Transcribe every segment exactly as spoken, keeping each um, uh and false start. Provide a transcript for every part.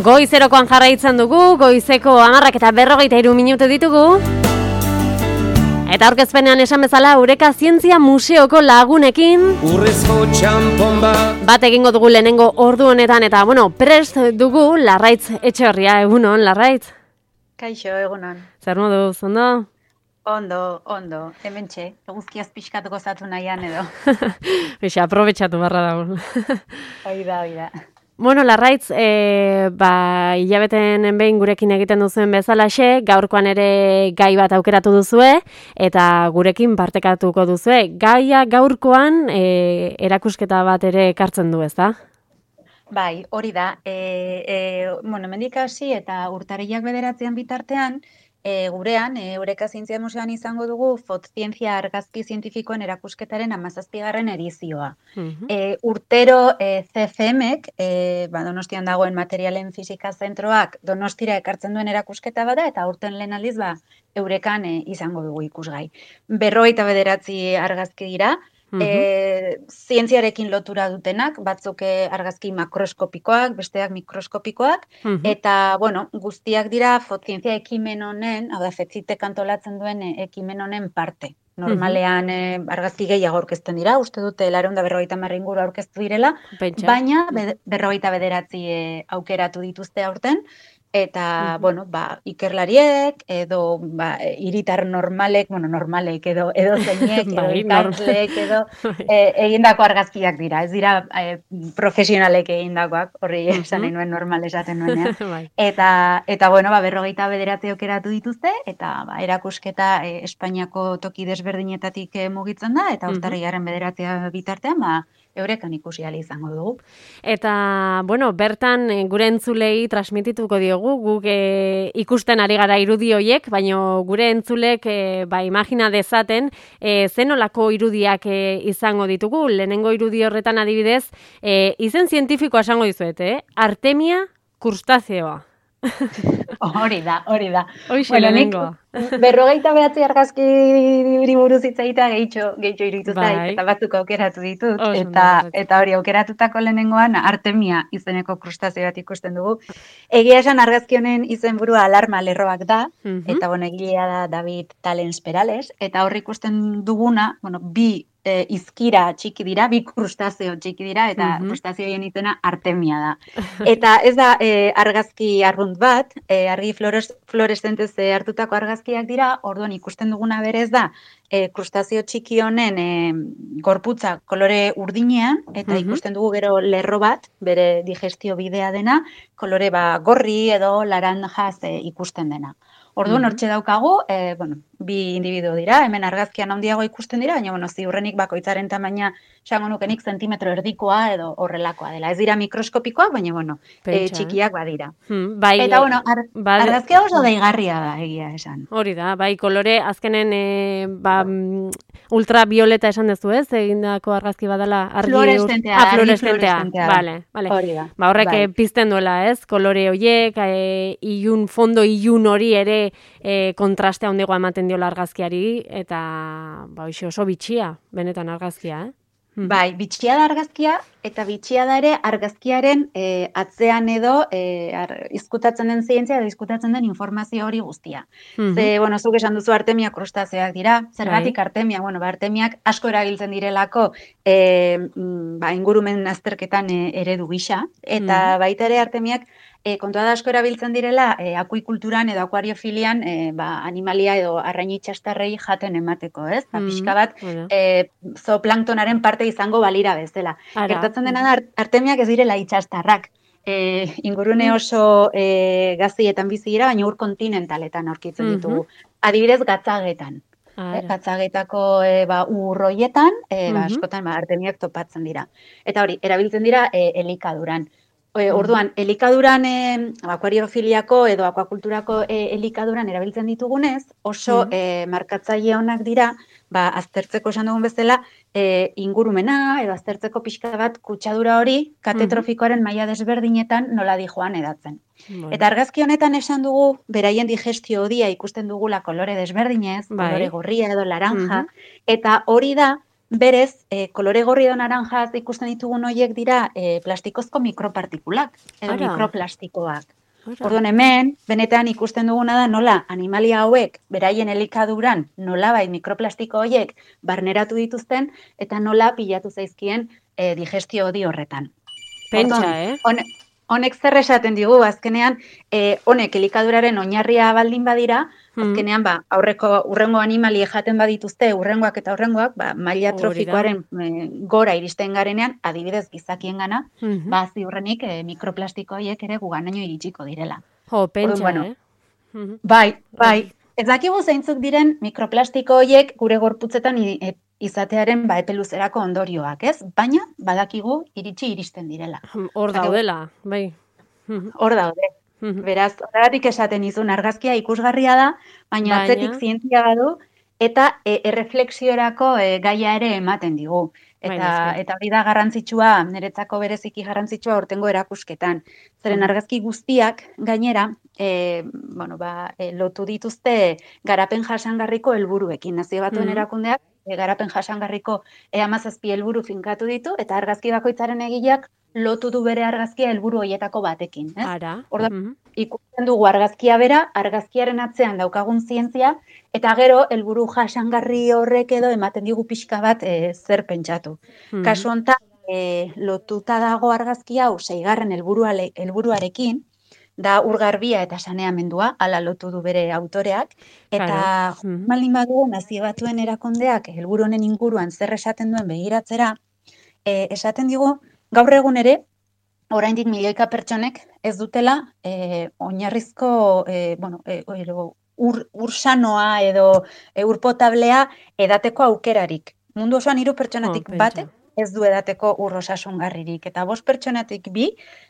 Goizerokoan jarraitzen dugu, goizeko hamarrak eta berrogeita hiru minutu ditugu. Eta aurkezpenean esan bezala, Eureka Zientzia Museoko lagunekin Urrezko txampon bat bat egingo dugu lehenengo ordu honetan, eta bueno, prest dugu Larraitz Etxeorria, egunon, Larraitz? Kaixo, egunon. Zer modu, ondo? Ondo, ondo, hementxe, eguzkiaz pixkat gozatu nahian edo. Bixe, aprobetxatu barra dago. Oida, oida. Bueno, Larraitz, e, ba, hilabeten behin gurekin egiten duzuen bezalaxe, gaurkoan ere gai bat aukeratu duzue, eta gurekin partekatuko duzue. Gaia gaurkoan e, erakusketa bat ere ekartzen du, ezta? Bai, hori da. E, e, bueno, hemendik hasi eta urtarrilak bederatzean bitartean, E, gurean, e, Eureka Zientzia Museoan izango dugu Fotzientzia argazki zientifikoen erakusketaren hamazazpigarren edizioa. Mhm. E, urtero e, C F Mek, e, ba, Donostian dagoen materialen fisika zentroak Donostira ekartzen duen erakusketa bada, eta urten lehen aldiz ba, Eurekan e, izango dugu ikusgai. Berrogeita bederatzi argazki dira, Mhm. E, zientziarekin lotura dutenak, batzuk e, argazki makroskopikoak, besteak mikroskopikoak, Mhm. eta, bueno, guztiak dira fotzientzia ekimen honen, hau da, fetzitek antolatzen duen e, ekimen honen parte. Normalean e, argazki gehiago aurkezten dira, uste dute laurehun eta berrogeita hamar inguru aurkeztu direla, Pentsa. baina be, berrogeita bederatzi e, aukeratu dituzte aurten, eta, Mhm. bueno, ba, ikerlariek, edo, ba, hiritar normalek, bueno, normalek, edo, edo zeinek, edo Bai, norm- ikasleek, edo, e, egindako argazkiak dira, ez dira e, profesionalek egindakoak, horri esan nahi nuen normal esaten nuenean. Bai. Eta, eta bueno, ba, berrogeita bederatzi aukeratu dituzte, eta ba, erakusketa e, Espainiako toki desberdinetatik e, mugitzen da, eta Mhm. urtarrilaren bederatzea bitartean, ba, Eurekan ikusi ahal izango dugu. Eta, bueno, bertan eh, gure entzulei transmitituko diogu, guk eh, ikusten ari gara irudi hoiek, baina gure entzulek eh, ba, imagina dezaten eh, zenolako irudiak eh, izango ditugu. Lehenengo irudi horretan adibidez, eh, izen zientifikoa esango dizuet, eh? Artemia crustacea. Hori da, hori da. Hoixe Bueno, nik lehenengoa. berrogeita behatzi argazki buruz hitz egitea gehitxo, gehitxo iruditu Bai. zait, eta batzuk aukeratu ditut, Oso ondo, eta, Larraitz. eta hori aukeratutako lehenengoan Artemia izeneko krustazio bat ikusten dugu. Egia esan argazki honen izenburua alarma lerroak da, Mhm. eta bueno, egilea da David Talens Perales, eta hor ikusten duguna, bueno, bi e, izkira txiki dira, bi krustazio txiki dira, eta Mhm. krustazioen izena Artemia da. Eta ez da e, argazki arrunt bat, e, argi flores, fluoreszentez e, hartutako argazkiak dira, orduan ikusten duguna berez da, e, krustazio txiki honen e, gorputza kolore urdinean, eta Mhm. ikusten dugu gero lerro bat, bere digestio bidea dena, kolore ba, gorri edo laranjaz e, ikusten dena. Orduan, Mhm. hortxe daukagu, e, bueno, bi individuo dira, hemen argazkian handiago ikusten dira, baina bueno, ziurrenik bakoitzaren tamaina esango nukenik zentimetro erdikoa edo horrelakoa dela. Ez dira mikroskopikoak, baina bueno, e, Pentsa, eh? txikiak badira. Hmm, bai, Eta bueno, ar, ba- argazkia oso deigarria da, egia esan. Hori da, bai, kolore azkenen e, ba, mm, ultravioleta esan duzu, ez? Egindako argazki badala argi Fluoreszentea ah, da, argi fluoreszentea. fluoreszentea da. Vale, vale. Hori da. Ba, horrek bai. eh, pizten duela, ez? Kolore horiek, e, ilun, fondo ilun hori ere e, kontrastea handiagoa ematen diola argazkiari, eta ba, hoxe oso bitxia, benetan argazkia, eh? Mhm. Bai, bitxia da argazkia, eta bitxia da ere argazkiaren e, atzean edo e, ar, izkutatzen den zientzia edo izkutatzen den informazio hori guztia. Mhm. Ze, bueno, zuk esan duzu Artemia krustazioak dira. Zergatik Bai. Artemia? Bueno, ba, Artemiak asko erabiltzen direlako e, mm, ba, ingurumen azterketan e, eredu gisa, eta baita ere Artemiak e, kontua da asko erabiltzen direla e, akuikulturan edo akuariofilian e, ba, animalia edo arrain itxastarrei jaten emateko, ez? Ba, Mhm. pixka bat Bueno. e, zooplanktonaren parte izango balira bezala. Ara. Gertatzen dena da, Ar- Artemiak ez direla itxastarrak. E, ingurune oso e, gazietan bizi dira, baina ur kontinentaletan aurkitzen Mhm. ditugu. Adibidez, gatzagetan. E, Ara. gatzagetako e, ba, ur horietan, e, ba, Mhm. askotan ba, Artemiak topatzen dira. Eta hori, erabiltzen dira e, elikaduran. E, Mhm. orduan, elikaduran, e, akuariofiliako edo akuakulturako e, elikaduran erabiltzen ditugunez, oso Mhm. e, markatzaile onak dira, ba, aztertzeko esan dugun bezala, e, ingurumena edo aztertzeko pixka bat kutsadura hori katetrofikoaren maila desberdinetan nola dijoan edatzen. Bueno. Eta argazki honetan esan dugu, beraien digestio hodia ikusten dugula kolore desberdinez, Bai. kolore gorria edo laranja, Mhm. eta hori da berez, e, kolore gorri edo naranjaz ikusten ditugun horiek dira e, plastikozko mikropartikulak, edo Ara. mikroplastikoak. Ara. Orduan hemen, benetan ikusten duguna da nola animalia hauek beraien elikaduran nolabait mikroplastiko horiek barneratu dituzten eta nola pilatu zaizkien e, digestio hodi horretan. Pentsa, Orduan, eh? hone, honek zer esaten digu, azkenean, e, honek elikaduraren oinarria baldin badira, azkenean, ba, aurreko urrengo animali jaten badituzte, urrengoak eta urrengoak, ba, maila trofikoaren e, gora iristen garenean, adibidez gizakien gana, Mm-hmm. ba, ziurrenik e, mikroplastiko horiek ere guganaino iritsiko direla. Jo, pentsa, Orduan, bueno, eh? Mm-hmm. Bai, bai. Ez dakigu zeintzuk diren mikroplastiko horiek gure gorputzetan izatearen ba epe luzerako ondorioak, ez? Baina badakigu iritsi iristen direla. Hor daudela, bai. Hor daude. Beraz, horregatik esaten izun argazkia ikusgarria da, baina, baina... atzetik zientzia badu eta e, erreflexiorako e, gaia ere ematen digu. Eta eta hori da garrantzitsua, niretzako bereziki garrantzitsua aurtengo erakusketan. Zeren argazki guztiak gainera, e, bueno, ba, e, lotu dituzte garapen jasangarriko helburuekin. Nazio Batuen erakundeak e, garapen jasangarriko e hamazazpi helburu finkatu ditu eta argazki bakoitzaren egileak lotu du bere argazkia helburu hoietako batekin, ez? Ara. Orda, ikusten dugu argazkia bera, argazkiaren atzean daukagun zientzia, eta gero helburu jasangarri horrek edo ematen digu pixka bat e, zer pentsatu. Mm-hmm. Kasu honetan, e, lotuta dago argazki hau seigarren helburuarekin, da urgarbia eta saneamendua, hala lotu du bere autoreak, eta mm-hmm. maldin badugu Nazio Batuen erakundeak helburu honen inguruan zer esaten duen begiratzera, e, esaten digu, gaur egun ere, oraindik milioika pertsonek ez dutela e, oinarrizko e, bueno, e, ur, ur sanoa edo e, ur potablea edateko aukerarik. Mundu osoan hiru pertsonatik oh, batek ez du edateko ur osasungarririk. Eta bost pertsonatik bi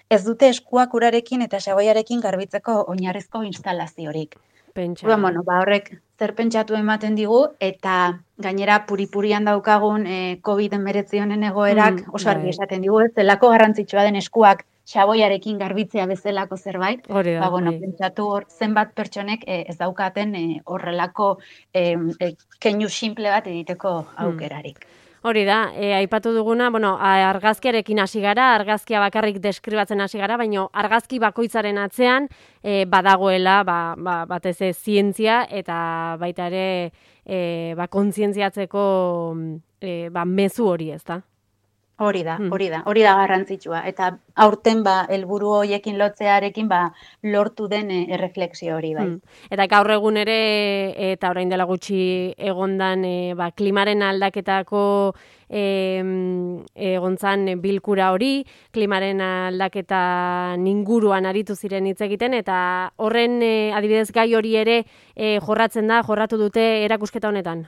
ez dute eskuak urarekin eta xaboiarekin garbitzeko oinarrizko instalaziorik. Pentsa. Bueno, bueno, ba horrek zer pentsatu ematen digu, eta gainera puri-purian daukagun e, covid hemeretzi honen egoerak mm, oso argi esaten digu, ez zelako garrantzitsua den eskuak xaboiarekin garbitzea bezalako zerbait. Hori da, ba, bueno, bai. pentsatu hor zenbat pertsonek e, ez daukaten e, horrelako e, e, keinu simple bat egiteko aukerarik. Hmm. Hori da, e, aipatu duguna, bueno, argazkiarekin hasi gara, argazkia bakarrik deskribatzen hasi gara, baina argazki bakoitzaren atzean e, badagoela, ba, ba, batez ez zientzia eta baita ere e, ba, kontzientziatzeko e, ba, mezu hori, ez da? Hori da, hori da, hori da garrantzitsua. Eta aurten ba helburu hoiekin lotzearekin ba lortu den e, erreflexio hori bai. Hmm. Eta gaur egun ere eta orain dela gutxi egondan e, ba, klimaren aldaketako e, egontzan bilkura hori, klimaren aldaketa inguruan aritu ziren hitz egiten eta horren e, adibidez gai hori ere e, jorratzen da, jorratu dute erakusketa honetan.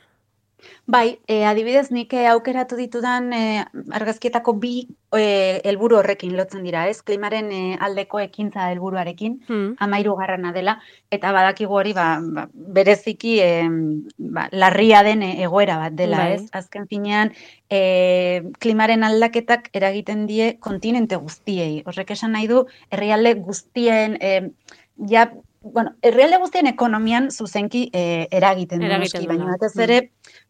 Bai, e, adibidez nik aukeratu ditudan e, argazkietako bi e, helburu horrekin lotzen dira, ez? Klimaren e, aldeko ekintza helburuarekin, hmm. amairu garrana dela, eta badakigu hori ba, ba, bereziki e, ba, larria den egoera bat dela, bai. Ez? Azken finean, e, klimaren aldaketak eragiten die kontinente guztiei. Horrek esan nahi du, herrialde guztien, e, ja, bueno, herrialde guztien ekonomian zuzenki e, eragiten du noski, baina batez ere,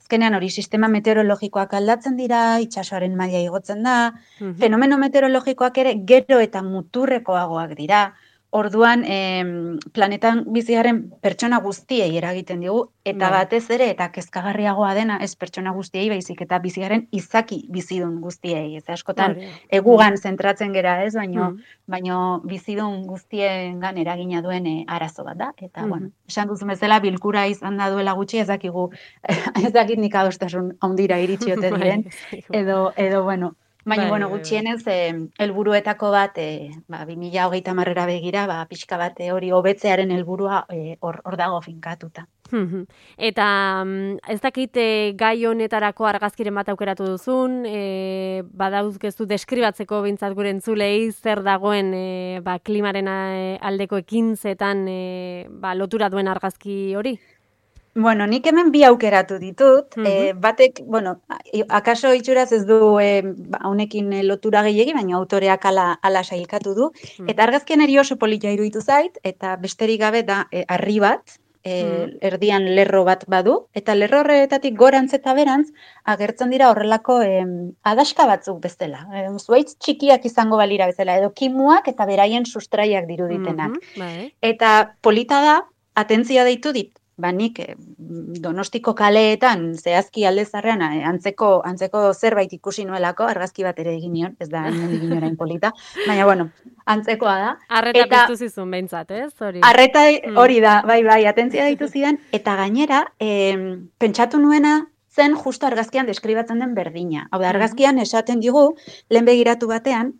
azkenean hori sistema meteorologikoak aldatzen dira, itsasoaren maila igotzen da, mm-hmm. fenomeno meteorologikoak ere gero eta muturrekoagoak dira. Orduan, eh, planetan bizigaren pertsona guztiei eragiten digu, eta bai. Batez ere, eta kezkagarriagoa dena, ez pertsona guztiei, baizik eta bizigaren izaki bizidun guztiei. Ez askotan, bai. Egugan zentratzen gera ez, baino, mm. baino bizidun guztiengan eragina duen e, arazo bat da. Eta, mm. bueno, esan duzu bezala, bilkura izan da duela gutxi, ez dakigu, ez dakit nik adostasun ondira iritsiote diren, edo, edo, bueno, baina, bai, bueno, gutxienez, helburuetako bat, e, ba, bi mila hogeita hamarrera begira, ba, pixka bat hori hobetzearen helburua hor e, dago finkatuta. Eta ez dakit e, gai honetarako argazkiren bat aukeratu duzun, e, badauzkeztu deskribatzeko bintzat gure entzulei zer dagoen e, ba, klimaren aldeko ekintzetan e, ba, lotura duen argazki hori? Bueno, nik hemen bi aukeratu ditut, mm-hmm. e, batek, bueno, akaso itxuraz ez du honekin e, lotura gehiegi, baina autoreak ala, ala sailkatu du, mm-hmm. eta argazkian eri oso polita iruditu zait, eta besterik gabe da e, harri bat, e, erdian lerro bat badu, eta lerro horretatik gorantz eta berantz agertzen dira horrelako em, adaska batzuk bezala. E, zuaitz txikiak izango balira bezala, edo kimuak eta beraien sustraiak diruditenak. Mhm, bai. Eta polita da, atentzia deitu dit, ba nik eh, Donostiko kaleetan zehazki alde zarrean eh, antzeko antzeko zerbait ikusi nuelako, argazki bat ere egin nion, ez da hemendik inorain polita, baina bueno, antzekoa da. Arreta Eta piztu zizun behintzat, ez? Hori. arreta Mm. hori da, bai bai, atentzia deitu zidan, eta gainera, em, pentsatu nuena zen justo argazkian deskribatzen den berdina. Hau da, argazkian esaten digu, lehen begiratu batean,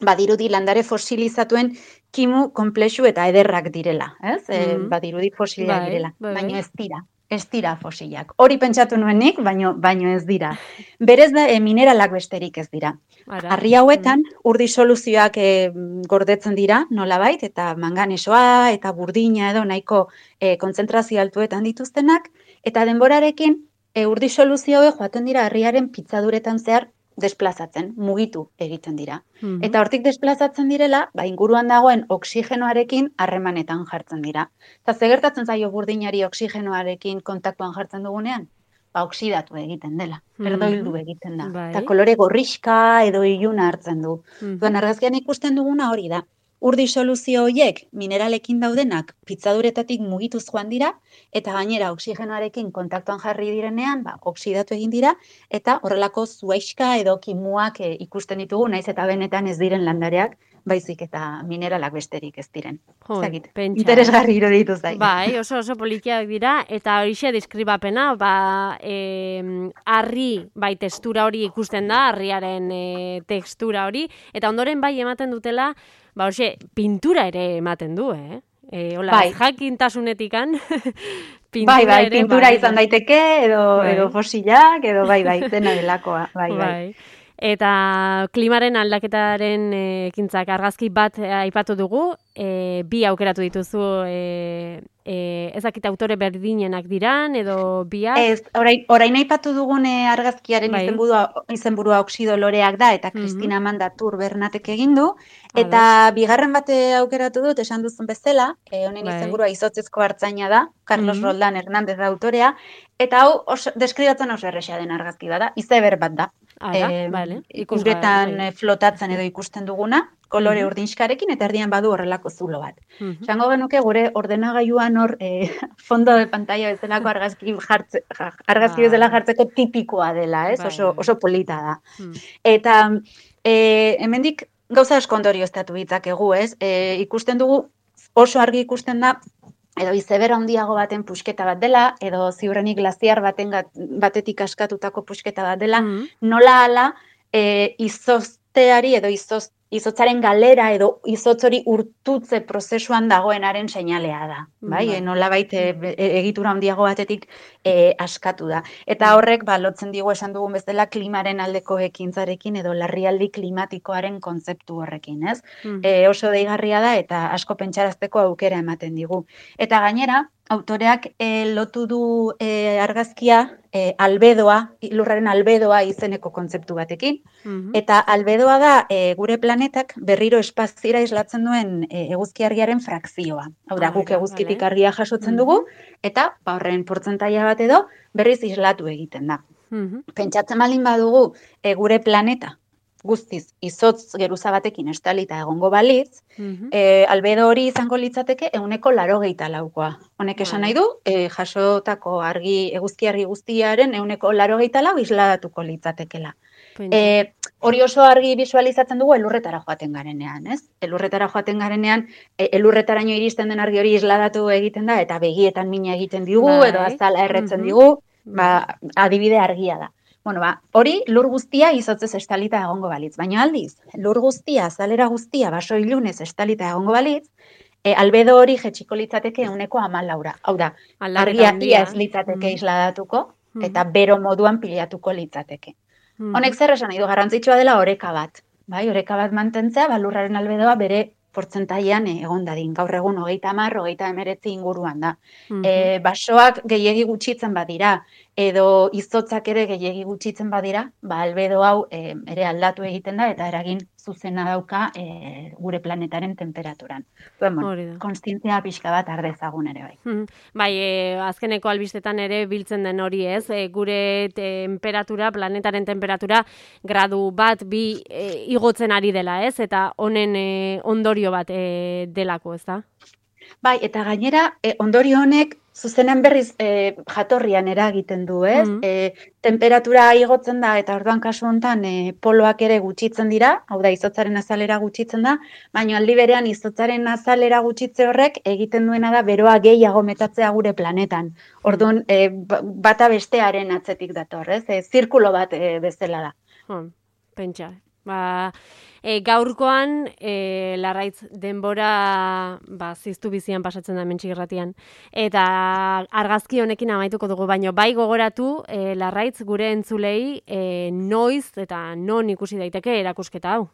badirudi landare fosilizatuen kimu konplexu eta ederrak direla, ez? E, Mhm. badirudi fosilak Bai, direla, bai, baina bai. ez dira. Ez dira fosilak. Hori pentsatu nuenik, baino, baino ez dira. Berez da, e, mineralak besterik ez dira. Ara. Harri hauetan, ur disoluzioak e, gordetzen dira, nolabait, eta manganesoa eta burdina edo nahiko e, kontzentrazio altuetan dituztenak, eta denborarekin e, ur disoluzio hauek joaten dira harriaren pitzaduretan zehar desplazatzen, mugitu egiten dira. Mhm. Eta hortik desplazatzen direla, ba, inguruan dagoen oxigenoarekin harremanetan jartzen dira. Eta ze gertatzen zaio burdinari oxigenoarekin kontaktuan jartzen dugunean? Ba, oksidatu egiten dela, erdoildu egiten da. Bai. Eta kolore gorrixka edo iluna hartzen du. Mhm. Duan argazkian ikusten duguna hori da. Ur disoluzio horiek mineralekin daudenak pitzaduretatik mugituz joan dira, eta gainera oxigenoarekin kontaktuan jarri direnean, ba, oksidatu egin dira, eta horrelako zuaiska edo kimuak e, ikusten ditugu, naiz eta benetan ez diren landareak, baizik eta mineralak besterik ez diren. Jo, Zagit, pentsa. interesgarri iruditu zait. Bai, oso oso polikiak dira, eta horixe deskribapena, ba, e, harri, bai, textura hori ikusten da, harriaren e, textura hori, eta ondoren bai ematen dutela, ba, hoxe, pintura ere ematen du, eh? E, hola, Bai. jakintasunetikan, pintura Bai, bai, ere, pintura bai, izan bai. daiteke, edo, Bai. edo fosilak, edo bai, bai, dena delakoa, bai, bai. Bai. Eta klimaren aldaketaren eh, ekintzak argazki bat eh, aipatu dugu, eh, bi aukeratu dituzu, eh, eh, ezakit autore berdinenak diran, edo biak. Ez, orain, orain aipatu dugune argazkiaren Bai. izenburua, izenburua oxido loreak da, eta Mhm. Kristina Amanda Tur Bernatek egin du, eta bigarren bate aukeratu dut, esan duzun bezala, eh, honen Bai. izenburua izotzezko hartzaina da, Carlos Mhm. Roldán Hernández da autorea, eta hau oso, deskribatzen oso erresa den argazki bada, izeber bat da. Ara, Em, bale, ikusgai, uretan bai. eh, flotatzen edo ikusten duguna, kolore Mhm. urdinxkarekin, eta erdian badu horrelako zulo bat. Mhm. Esango genuke gure ordenagailuan hor eh, fondo de pantalla bezalako argazki jartze, ja- argazki Bai. bezala jartzeko tipikoa dela, ez? Bai, Oso, bai. oso polita da. Hmm. Eta e, hemendik gauza asko ondorioztatu ditzakegu, ez? E, ikusten dugu, oso argi ikusten da, edo izeber handiago baten pusketa bat dela, edo ziurrenik glaziar baten gat- batetik askatutako pusketa bat dela, Mhm. nola ala e, izozteari edo izoz, izotzaren galera edo izotz hori urtutze prozesuan dagoenaren seinalea da. Bai, Bai. e, nolabait e, be- e, egitura handiago batetik e, askatu da. Eta horrek ba, lotzen digu esan dugun bezala klimaren aldeko ekintzarekin edo larrialdi klimatikoaren kontzeptu horrekin, ez? Mhm. E, oso deigarria da eta asko pentsarazteko aukera ematen digu. Eta gainera, autoreak e, lotu du e, argazkia e, albedoa, lurraren albedoa izeneko kontzeptu batekin, Mhm. eta albedoa da e, gure planetak berriro espaziera islatzen duen e, eguzki argiaren frakzioa. Hau da, guk Ara, eguzkitik bale. argia jasotzen dugu, eta ba, horren portzentaia bat edo berriz islatu egiten da. Mhm. Pentsatzen baldin badugu e, gure planeta guztiz izotz geruza batekin estalita egongo balitz, Mhm. e, albedo hori izango litzateke ehuneko laurogeita laukoa. Honek esan Vale. nahi du, e, jasotako argi, eguzki argi guztiaren ehuneko laurogeita lau isladatuko litzatekela. Pentsa. E, hori oso argi visualizatzen dugu elurretara joaten garenean, ez? Elurretara joaten garenean, e, elurretaraino iristen den argi hori isladatu egiten da, eta begietan mina egiten digu, Bai. edo azala erretzen Mhm. digu, ba, adibide argia da. Bueno, ba, hori lur guztia izotzez estalita egongo balitz, baina aldiz, lur guztia, azalera guztia, baso ilunez estalita egongo balitz, e, albedo hori jetxiko litzateke ehuneko hamalaura. Hau da, Aldaketa argia handia. ia ez litzateke Mhm. isladatuko, Mhm. eta bero moduan pilatuko litzateke. Mhm. Honek zer esan nahi du, garrantzitsua dela oreka bat. Bai, oreka bat mantentzea, ba, lurraren albedoa bere portzentaian eh, egon dadin. Gaur egun hogeita hamar, hogeita hemeretzi inguruan da. Mhm. E, basoak gehiegi gutxitzen badira, edo izotzak ere gehiegi gutxitzen badira, ba, albedo hau e, ere aldatu egiten da eta eragin zuzena dauka e, gure planetaren temperaturan. Duen, bueno, konstientzia pixka bat ardezagun ere bai. Hmm. Bai, e, azkeneko albistetan ere biltzen den hori ez, e, gure temperatura, planetaren temperatura, gradu bat, bi e, igotzen ari dela ez, eta honen e, ondorio bat e, delako ez da? Bai, eta gainera, e, ondorio honek zuzenean berriz e, jatorrian eragiten du, ez? Mm. E, temperatura igotzen da, eta orduan kasu honetan e, poloak ere gutxitzen dira, hau da, izotzaren azalera gutxitzen da, baina aldi berean izotzaren azalera gutxitze horrek egiten duena da beroa gehiago metatzea gure planetan. Orduan, e, bata bestearen atzetik dator, ez? E, zirkulo bat e, bezala da. Hmm, pentsa. Ba, e, gaurkoan, e, Larraitz, denbora ba, ziztu bizian pasatzen da hementxe irratian. Eta argazki honekin amaituko dugu, baino bai gogoratu, e, Larraitz, gure entzulei, e, noiz eta non ikusi daiteke erakusketa hau?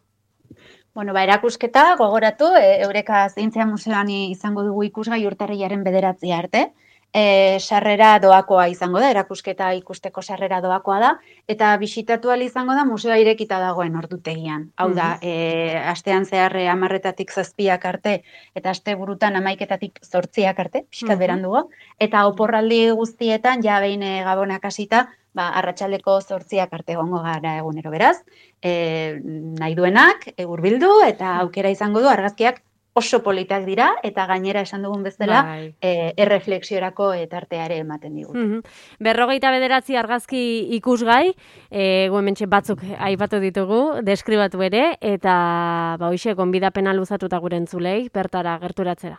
Bueno, ba, erakusketa gogoratu, e, Eureka Zientzia Museoan izango dugu ikusgai urtarrilaren bederatzi arte. E, sarrera doakoa izango da, erakusketa ikusteko sarrera doakoa da, eta bisitatu ahal izango da museoa irekita dagoen ordutegian. Hau da, e, astean zehar hamarretatik zazpiak arte, eta aste burutan hamaiketatik zortziak arte, pixkat berandugo, eta oporraldi guztietan, ja behin e, gabonak hasita, ba, arratsaldeko zortziak arte egongo gara egunero beraz, e, nahi duenak, e, hurbildu, eta aukera izango du argazkiak oso politak dira, eta gainera esan dugun bezala, bai. e, erreflexiorako tarteare ematen digut. Mm -hmm. Berrogeita bederatzi argazki ikusgai, e, guementxe batzuk aipatu ditugu, deskribatu ere, eta ba, hoxe, gonbidapena luzatuta gure entzulei, bertara gerturatzera.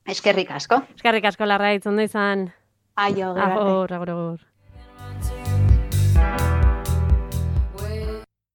Eskerrik asko. Eskerrik asko, Larraitz, ondo izan. Aio, gero arte. Agur, agur, agur.